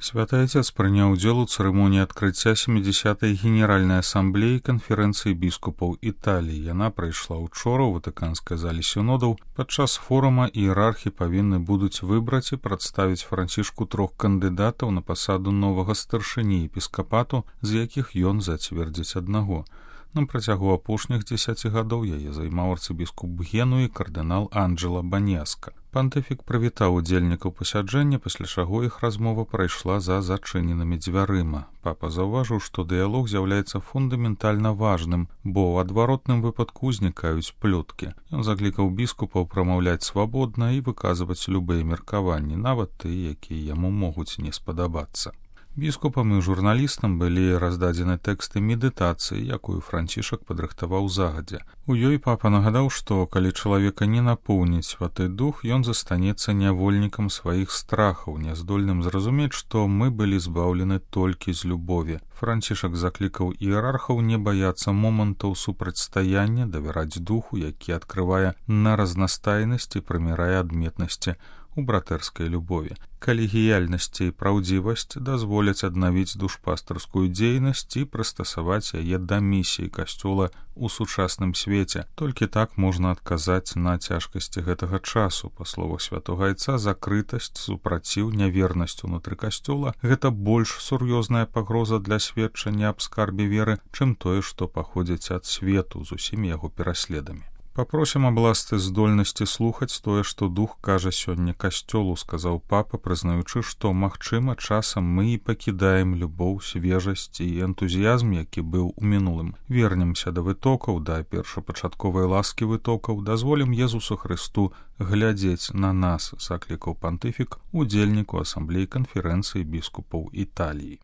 Святы Отец прыняў удзел у цырымоніі адкрыцця 70-й генеральнай асамблеі канферэнцыі біскупаў Італіі. Яна прайшла ўчора ў ватыканскай зале сінодаў. Падчас форума іерархі павінны будуць выбраць і прадставіць Францішку 3 кандыдатаў на пасаду новага старшыні епіскапату, з якіх ён зацвердзіць аднаго. На працягу апошніх 10 гадоў яе займаў арцыбіскуп Генуі кардынал Анджела Банеска. Пантыфік прывітаў удзельнікаў пасяджэння, пасля чаго іх размова прайшла за зачыненымі дзвярыма. Папа заўважыў, што дыялог з'яўляецца фундаментальна важным, бо ў адваротным выпадку узнікаюць плёткі. Ён заклікаў біскупаў прамаўляць свабодна і выказваць любыя меркаванні, нават тыя, якія яму могуць не спадабацца. Біскупам і журналістам былі раздадзены тэксты медытацыі, якую Францішак падрыхтаваў загадзя. У ёй папа нагадаў, што калі чалавека не напоўніць святы дух, ён застанецца нявольнікам сваіх страхаў, няздольным зразумець, што мы былі збаўлены толькі з любові. Францішак заклікаў іерархаў не баяцца момантаў супрацьстаяння, давяраць духу, які адкрывае на разнастайнасць і прымірае адметнасці у братэрскай любові. Калегіяльнасць і праўдзівасць дазволяць аднавіць душпастарскую дзейнасць і прыстасаваць яе да місіі касцёла ў сучасным свеце. Толькі так можна адказаць на цяжкасці гэтага часу. Па словах святога Айца, закрытасць, супраціў, нявернасць унутры касцёла — гэта больш сур'ёзная пагроза для сведчання аб скарбе веры, чым тое, што паходзіць ад свету з усімі яго пераследамі. Папросім аб ласцы здольнасці слухаць тое, што дух кажа сёння касцёлу, сказаў папа, прызнаючы, што, магчыма, часам мы і пакідаем любоў, свежасць і энтузіязм, які быў у мінулым. Вернемся да вытокаў, да першапачатковай ласкі вытокаў, дазволім Езусу Хрысту глядзець на нас, заклікаў пантыфік удзельніку асамблеі канферэнцыі біскупаў Італіі.